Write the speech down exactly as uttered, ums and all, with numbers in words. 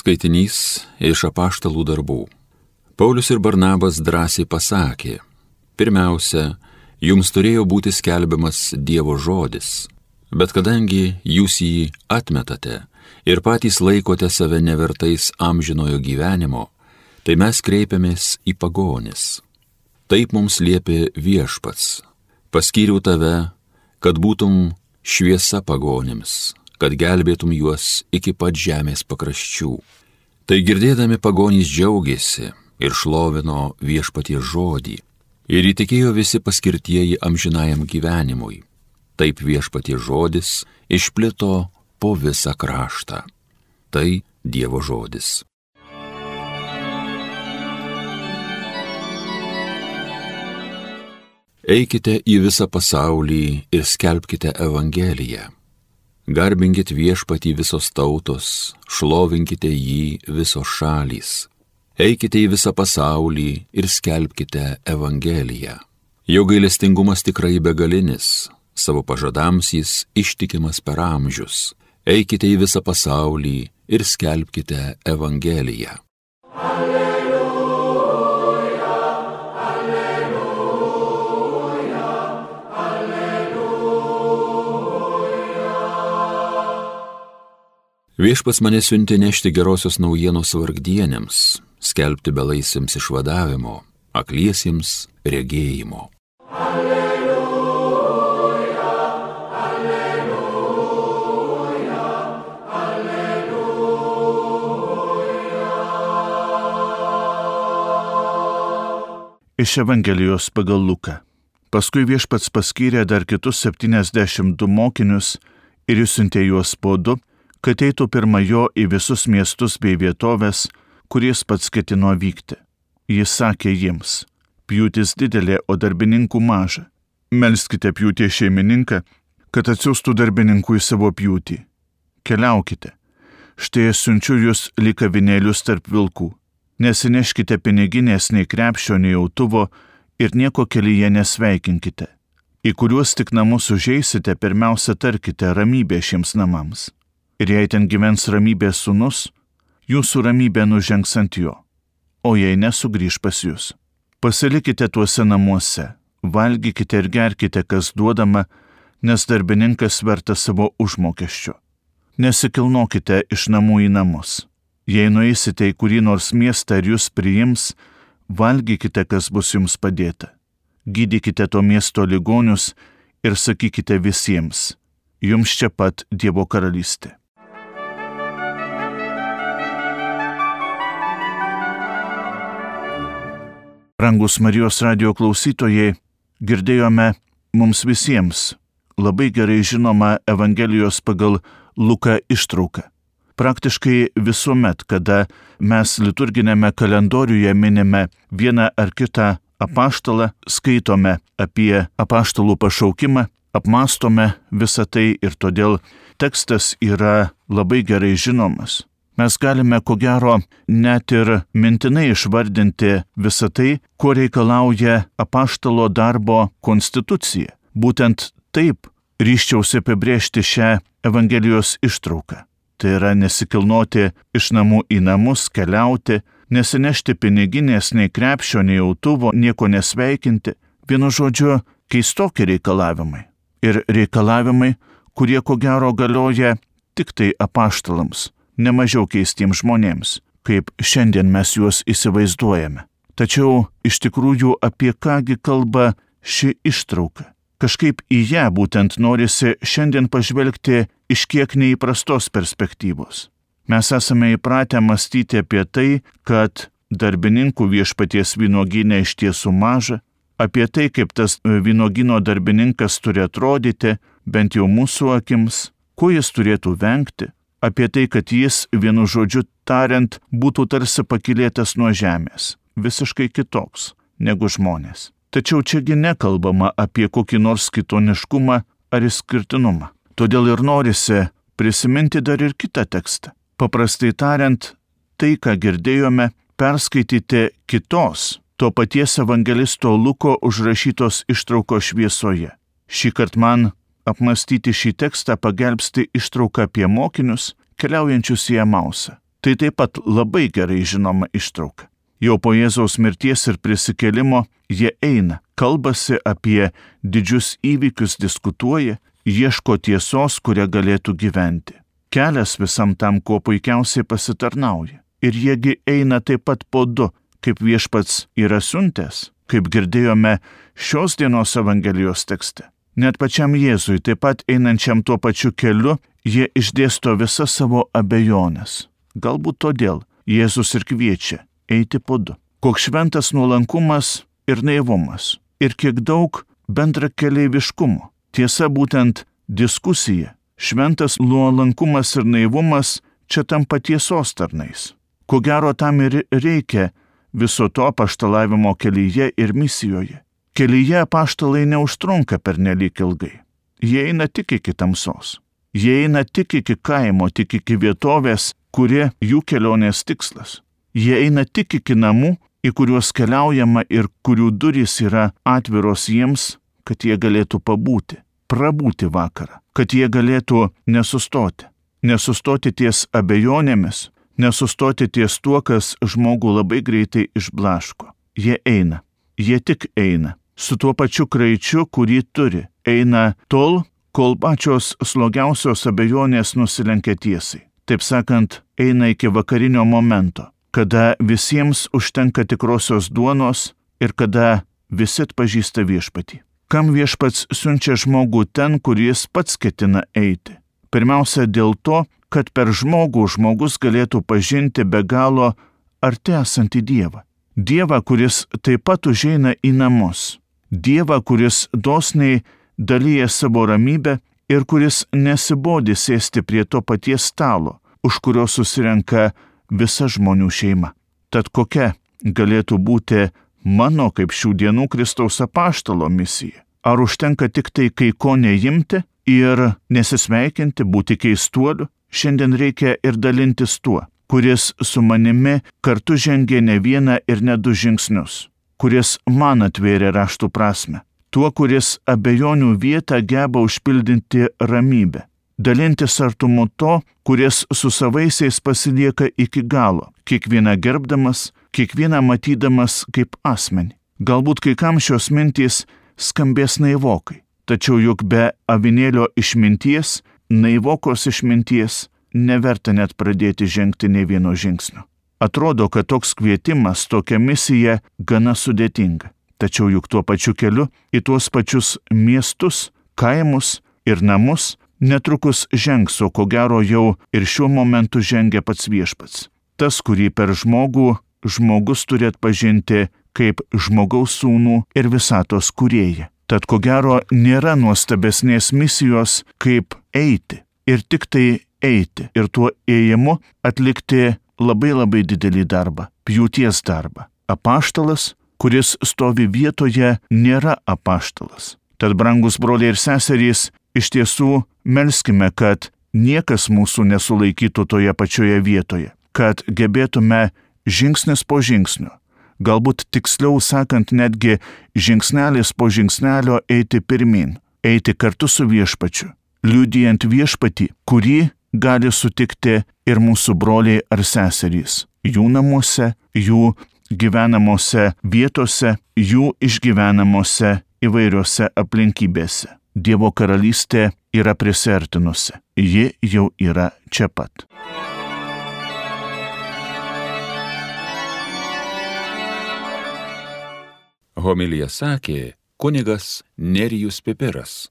Skaitinys iš Apaštalų darbų. Paulius ir Barnabas drąsiai pasakė: pirmiausia, jums turėjo būti skelbiamas Dievo žodis, bet kadangi jūs jį atmetate ir patys laikote save nevertais amžinojo gyvenimo, tai mes kreipiamės į pagonis. Taip mums liepė Viešpats: paskyriau tave, kad būtum šviesa pagonims, kad gelbėtum juos iki pat žemės pakraščių. Tai girdėdami pagonys džiaugiasi ir šlovino Viešpaties žodį, ir įtikėjo visi paskirtieji amžinajam gyvenimui. Taip Viešpaties žodis išplito po visą kraštą. Tai Dievo žodis. Eikite į visą pasaulį ir skelbkite Evangeliją. Garbinkit Viešpatį visos tautos, šlovinkite jį visos šalys. Eikite į visą pasaulį ir skelbkite Evangeliją. Jo gailestingumas tikrai begalinis, savo pažadams jis ištikimas per amžius. Eikite į visą pasaulį ir skelbkite Evangeliją. Viešpats mane siuntė nešti gerosios naujienos vargdienėms, skelbti belaisviams išvadavimo, akliesiems regėjimo. Alleluja, alleluja, alleluja. Iš Evangelijos pagal Luką. Paskui Viešpats paskyrė dar kitus septyniasdešimt du mokinius ir išsiuntė juos po du, kad eitų pirma jo į visus miestus bei vietovės, kuris pats ketino vykti. Jis sakė jiems: pjūtis didelė, o darbininkų maža. Melskite pjūties šeimininką, kad atsiųstų darbininkų į savo pjūtį. Keliaukite. Štai aš siunčiu jūs lyg avinėlius tarp vilkų. Nesineškite piniginės nei krepšio, nei autuvo ir nieko kelyje nesveikinkite. Į kuriuos tik namus užeisite, pirmiausia tarkite: ramybė šiems namams. Ir jei ten gyvens ramybės sūnus, jūsų ramybė nužengs ant jo, o jei nesugrįž pas jūs. Pasilikite tuose namuose, valgykite ir gerkite, kas duodama, nes darbininkas vertas savo užmokesčio. Nesikilnokite iš namų į namus. Jei nueisite į kurį nors miestą ir jūs priims, valgykite, kas bus jums padėta. Gydykite to miesto ligonius ir sakykite visiems: jums čia pat Dievo karalystė. Rangus Marijos radijo klausytojai, girdėjome mums visiems labai gerai žinomą Evangelijos pagal Luką ištrauką. Praktiškai visuomet, kada mes liturginėme kalendoriuje minime vieną ar kitą apaštalą, skaitome apie apaštalų pašaukimą, apmastome visą tai ir todėl tekstas yra labai gerai žinomas. Mes galime, ko gero, net ir mintinai išvardinti visą tai, ko reikalauja apaštalo darbo konstitucija. Būtent taip ryžčiausi apibrėžti šią Evangelijos ištrauką. Tai yra nesikilnoti iš namų į namus, keliauti, nesinešti piniginės, nei krepšio, nei autuvo, nieko nesveikinti. Vienu žodžiu, keistokie reikalavimai. Ir reikalavimai, kurie ko gero galioja tik tai apaštalams, nemažiau keistiems žmonėms, kaip šiandien mes juos įsivaizduojame. Tačiau iš tikrųjų apie kągi kalba ši ištrauka. Kažkaip į ją būtent norisi šiandien pažvelgti iš kiek neįprastos perspektyvos. Mes esame įpratę mąstyti apie tai, kad darbininkų Viešpaties vynuogyne iš tiesų maža, apie tai, kaip tas vynuogyno darbininkas turi atrodyti, bent jau mūsų akims, ko jis turėtų vengti, apie tai, kad jis, vienu žodžiu tariant, būtų tarsi pakylėtas nuo žemės, visiškai kitoks negu žmonės. Tačiau čiagi nekalbama apie kokį nors kitoniškumą ar išskirtinumą. Todėl ir norisi prisiminti dar ir kitą tekstą. Paprastai tariant, tai, ką girdėjome, perskaityti kitos, to paties evangelisto Luko užrašytos ištraukos šviesoje. Šįkart man apmastyti šį tekstą pagelbsti ištrauka apie mokinius, keliaujančius į Emausą. Tai taip pat labai gerai žinoma ištrauka. Jau po Jėzaus mirties ir prisikėlimo jie eina, kalbasi apie didžius įvykius, diskutuoja, ieško tiesos, kuria galėtų gyventi. Kelias visam tam, kuo puikiausiai pasitarnauja. Ir jiegi eina taip pat po du, kaip viešpats yra siuntęs, kaip girdėjome šios dienos Evangelijos tekste. Net pačiam Jėzui, taip pat einančiam tuo pačiu keliu, jie išdėsto visas savo abejonės. Galbūt todėl Jėzus ir kviečia eiti po du. Koks šventas nuolankumas ir naivumas. Ir kiek daug bendrakeleiviškumo. Tiesa, būtent diskusija. Šventas nuolankumas ir naivumas čia tampa tiesos tarnais. Ko gero tam ir reikia viso to apaštalavimo kelyje ir misijoje. Kelyje apaštalai neužtrunka pernelyg ilgai. Jie eina tik iki tamsos. Jie eina tik iki kaimo, tik iki vietovės, kuri jų kelionės tikslas. Jie eina tik iki namų, į kuriuos keliaujama ir kurių durys yra atviros jiems, kad jie galėtų pabūti, prabūti vakarą, kad jie galėtų nesustoti. Nesustoti ties abejonėmis, nesustoti ties tuo, kas žmogų labai greitai išblaško. Jie eina, jie tik eina, su tuo pačiu kraičiu, kurį turi. Eina tol, kol pačios slogiausios abejonės nusilenkia tiesai. Taip sakant, eina iki vakarinio momento, kada visiems užtenka tikrosios duonos ir kada visi atpažįsta viešpatį. Kam viešpats siunčia žmogų ten, kur jis pats ketina eiti? Pirmiausia dėl to, kad per žmogų žmogus galėtų pažinti be galo arti esantį Dievą. Dievą, kuris taip pat užeina į namus. Dievą, kuris dosniai dalyja savo ramybę ir kuris nesibodi sėsti prie to paties stalo, už kurio susirenka visa žmonių šeima. Tad kokia galėtų būti mano kaip šių dienų Kristaus apaštalo misija? Ar užtenka tik tai kai ko neimti ir nesisveikinti, būti keistuoliu? Šiandien reikia ir dalintis tuo, kuris su manimi kartu žengė ne vieną ir ne du žingsnius, kuris man atvėrė raštų prasme, tuo, kuris abejonių vietą geba užpildinti ramybę. Dalintis artumu to, kuris su savaisiais pasilieka iki galo, kiekvieną gerbdamas, kiekvieną matydamas kaip asmenį. Galbūt kai kam šios mintys skambės naivokai, tačiau juk be avinėlio išminties, naivokos išminties, neverta net pradėti žengti nei vieno žingsnio. Atrodo, kad toks kvietimas, tokia misija gana sudėtinga, tačiau juk tuo pačiu keliu į tuos pačius miestus, kaimus ir namus netrukus žengs, o ko gero jau ir šiuo momentu žengia pats viešpats. Tas, kurį per žmogų žmogus turi atpažinti kaip žmogaus sūnų ir visatos kūrėją. Tad ko gero nėra nuostabesnės misijos kaip eiti ir tik tai eiti ir tuo ėjimu atlikti labai labai didelį darbą, pjūties darbą. Apaštalas, kuris stovi vietoje, nėra apaštalas. Tad, brangus broliai ir seserys, iš tiesų melskime, kad niekas mūsų nesulaikytų toje pačioje vietoje, kad gebėtume žingsnis po žingsnio, galbūt tiksliau sakant netgi žingsnelis po žingsnelio eiti pirmin, eiti kartu su viešpačiu, liudijant viešpatį, kurį gali sutikti ir mūsų broliai ar seserys, jų namuose, jų gyvenamose vietose, jų išgyvenamose įvairiose aplinkybėse. Dievo karalystė yra prisertinusi, ji jau yra čia pat. Homiliją sakė kunigas Nerijus Pipiras.